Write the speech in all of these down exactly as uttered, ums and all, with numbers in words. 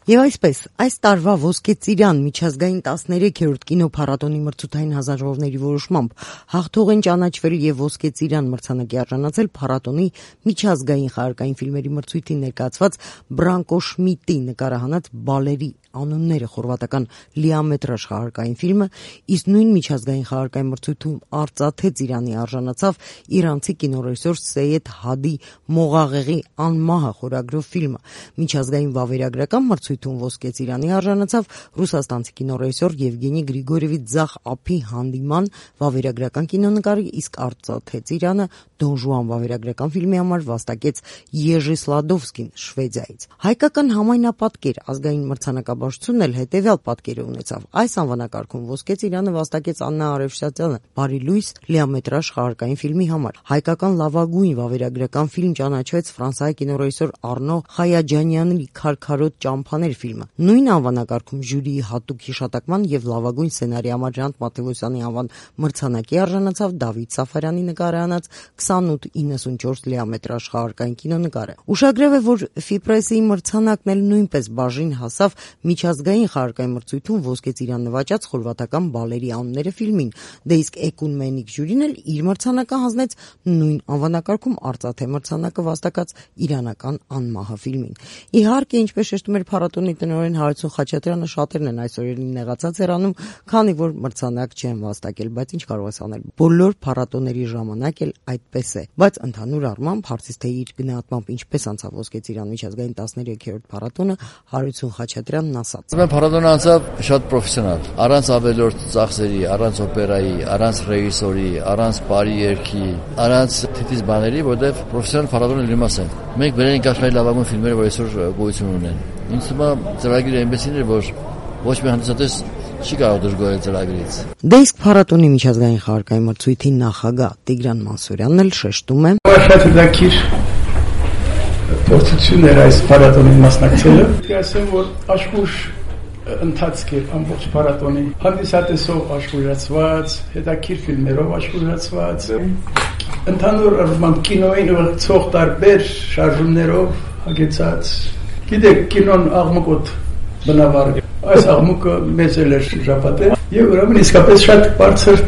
Եվ այսպես, այս տարվա Ոսկե ծիրան միջազգային տասներեքերորդ կինոփառատոնի մրցութային հանձնաժողովների որոշմամբ հաղթող են ճանաչվել եւ Ոսկե ծիրան մրցանակի արժանացել փառատոնի միջազգային խաղարկային ֆիլմերի մրցույթին ներկայացված Բրանկո Շմիդտի նկարահանած Բալերի անունները խորվաթական լիամետրաժ խաղարկային ֆիլմը, իսկ նույն միջազգային խաղարկային մրցույթում Արծաթե ծիրանի արժանացավ իրանցի կինոռեժիսոր Սեյեդ Հադի Մողաղեղի Անմահը խորագրով ֆիլմը։ Միջազգային վավերագրական մրցույթում Ոսկե ծիրանի արժանացավ ռուսաստանցի կինոռեժիսոր Եվգենի Գրիգորևիչ Ձախ Ափի Հանդիման վավերագրական կինոնկարը, իսկ Արծաթե ծիրանը Դոն Ժուան վավերագրական ֆիլմի համար վաստակեց Եժի Սլադովսկին Շվեդիայից։ Հայկական համայնապատկեր ազգային մրցանակաբաշխությունն էլ հետևյալ պատկերը ունեցավ։ Այս անվանակարգում Ոսկե ծիրանը վաստակեց Աննա Արևշտյանը Բարի լույս լիամետրաժ խաղարկային ֆիլմի համար։ Հայկական լավագույն վավերագրական ֆիլմ ճանաչվեց ֆրանսիայի կինոռեժիսոր Արնո Խայաջանյանի Քարքարոտ ճամփաներ ֆիլմը։ Նույն անվանակարգում ժյուրիի հատուկ հիշատակման եւ լավագույն սցենարի համար Ժանտ Մատեոսյանի անվան մրցանակի արժանացավ Դավիթ Սաֆարյանի նկարահանած քսանութ իննսունչորս լիամետրաժ խաղարկային կինոնկարը։ Ուշագրավ է, որ Ֆիպրեսի մրցանակն էլ նույնպես բաժին հասավ միջազգային խաղարկային մրցույթում Ոսկե ծիրան նվաճած խորվաթական Բալերի անունները ֆիլմին, դե իսկ Էկունմենիկ ժյուրին էլ իր մրցանակը հանձնեց նույն անվանակարգում Արծաթե մրցանակը վաստակած իրանական Անմահը ֆիլմին։ Իհարկե, ինչպես շեշտում էր փառատոնի տնօրեն Հարություն Խաչատրյանը, շատերն են այս օրերին նեղացած հեռանում, քանի որ մրցանակ չեն վաստակել, բայց ինչ կարող ես անել։ Բոլոր փառատոների ժամանակ էլ այդպես է, բայց ընդհանուր առմամբ հարցից թե իր գնահատմամբ ինչպես անցավ Ոսկե ծիրան միջազգային տասներեքերորդ փառատոնը, Հարություն Խաչատրյանն ասաց. Ուրեմն փառատոնը անցավ շատ պրոֆեսիոնալ, առանց ավելորդ ծախսերի, առանց օպերայի, առանց ռեժիսորի, առանց բարի երգի, առանց թիթիզ բաների, որտեղ պրոֆեսիոնալ փառատոնը լիմաս է։ Մենք բերել ենք աշխարհի լավագույն ֆիլմերը, որ այսօր գոյություն ունեն։ Ինձ թվում է ծրագիրը այնպեսին էր, որ ոչ մի հանդիսատես չի կարող դժգոհել ծրագրից։ Դե իսկ փառատոնի միջազգային խաղարկային մրցույթի նախագահ Տիգրան Մանսուրյանն էլ շեշտում է. Շատ հետաքրքիր փորձություն էր այս փառատոնի մասնակցելը։ Ասեմ, որ աշխուժ ընթացք էր ամբողջ փառատոնի, հանդիսատեսով աշխուժացված, հետաքրքիր ֆիլմերով աշխուժացված, ընդհանուր առմամբ կինոյին ուղղված տարբեր շարժումներով հագեցած։ Գիտեք, կինոն աղմուկոտ բնավար է։ Այս աղմուկը մեծ էլ էր շրջապատել եւ ուրեմն իսկապես շատ բարձր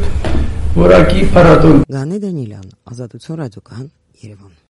որակի փառատոն։ Գանե Դանիելյան, Ազատություն ռադիոկայան, Երևան։